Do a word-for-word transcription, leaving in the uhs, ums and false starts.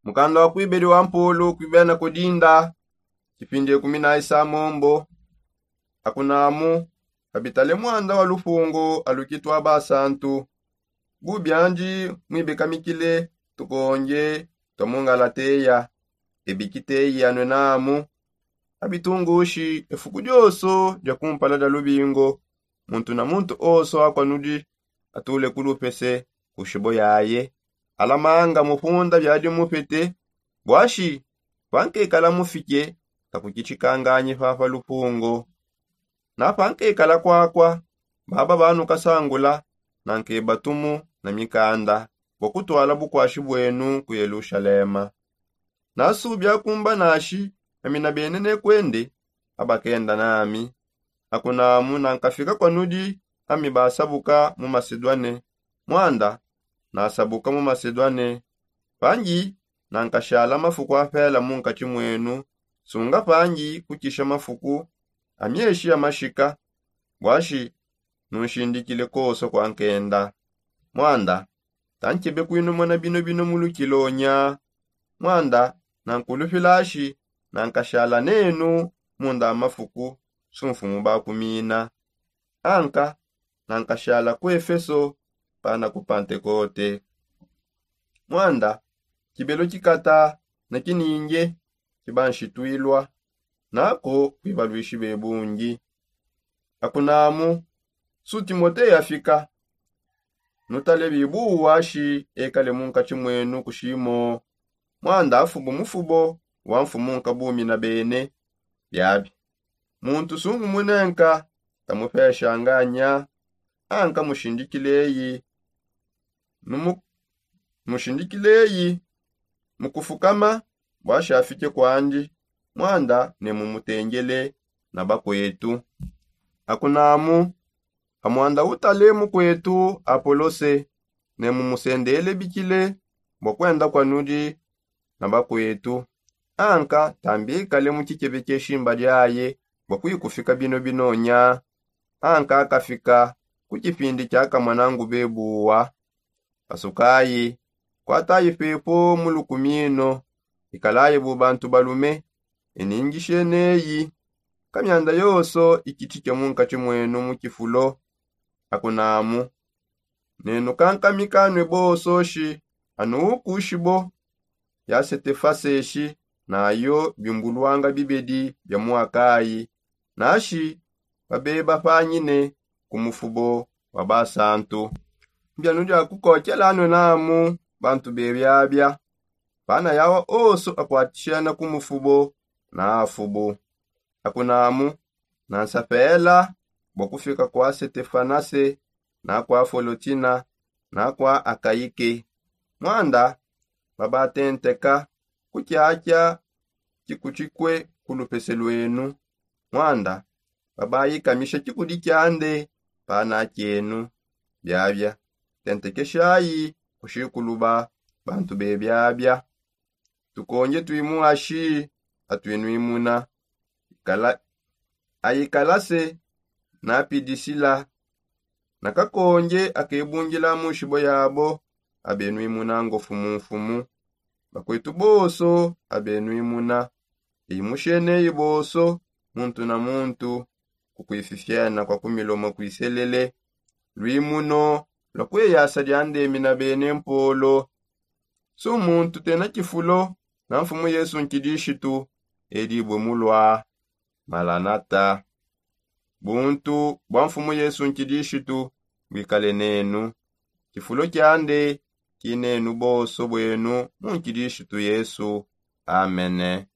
Mukanda wa kuibedi wa mpolo kuibena kudinda, kipindi ekumi na isamombo. Akunamu, kabitale mwanda wa lufungu aluki twa basantu. Bubiandi, mwibikamikile tukonje twa mungalateya. Ebikiteyi anwe namu, abitungushi efuku dioso dia kumpala dia lubingo, muntu na muntu oso akwanudi atule kulupese kushibo yaye. Alamanga mufunda biadi mupete. Bwashi, pankekala mufike, takukichikanganyi fafa lufungo. Na pankekala kwakwa, baba banukasangula na nkebatumu na mikanda bwa kutwala bukwashi bwenu ku yelushalema. Nasubi akumba nashi, ami na bene nekwende, abakenda nami. Akunamu nankafika kwanudi, ami basabuka mu masedwane. Mwanda, nasabuka mu masedwane. Pangi, nankashala mafuku apela mu nkatshi mwenu, sunga pangi kukisha mafuku amieshi amashika. Bwashi, nunshindikile koso kwa nkenda. Mwanda, tankebe kwinumona bino bino mulukilonya. Mwanda, nankulufilashi, nankashala nenu munda mafuku sumfumu bakumina. Anka, nankashala ku efeso pana ku pantekote. Mwanda, kibelo kikata na kininge kibanshitwilwa, nako kwibalwishi bebungi. Akunamu, su timote yafika. Nutale bibuwa shi ekale mu nkatshi mwenu kushimo. Mwanda afubu mufubo wa mfumu nkabumi na bene. Biabi, muntu sungu munenka, tamupeshanganya. Anka mushindikileyi, numu mushindikileyi mukufukama, bwashi afike kwandi. Mwanda ne mumutengele na bakwetu. Akunamu, amwanda utale mukwetu apolose, ne mumusendele bikile bwa kwenda kwanudi na bakwetu. Anka tambikale mu kikebe kye shimba lyaye bwa kwikufika bino binonya. Anka akafika ku kipindi kya kamwanangu bebuwa. Pasukayi, kwatayi pepo mu lukumino, ikalayi bu bantu balume. Eningisheneyi, kamyanda yoso ikitike mu nkatshi mwenu mu kifulo. Akunamu, nenu kankamika nwe boso shi anukushibo ya setefaseshi, nayo bimbulwanga bibedi bya mwakayi. Nashi babeba panyine ku mufubo wa basantu. Mbyanu dia kukokela nwe namu bantu bebyabya, pana yawa oso akwatishena ku mufubo na afubu. Akunamu, nansapela bwa kufika kwa setefanase, na kwa folotina, na kwa akaike. Mwanda babatenteka ku kyakya kikutshikwe ku lupese lwenu. Mwanda babayikamisha kikudi kyande pana kyenu. Byabya, tentekeshayi kushikuluba bantu bebyabya. Tukonje twimuashi atwinwimuna. Ayikalase na pidisila na kakonje akebungila mu nshibo yabo abenwimuna ngofu mu mfumu. Bakwetu boso abenwimuna, eyi musheneyi boso, muntu na muntu kukwififyana kwa kumilomo kwiselele. Lwimuno lwa kweyasa lyandemi na bene mpolo. Su muntu tena kifulo na mfumu yesu nkidishitu, edibwe mulwa. Malanata. Buntu bwa mfumu yesu nkidishitu bwikale nenu. Kifulo kyande kinenu boso bwenu mu nkidishitu yesu. Amene.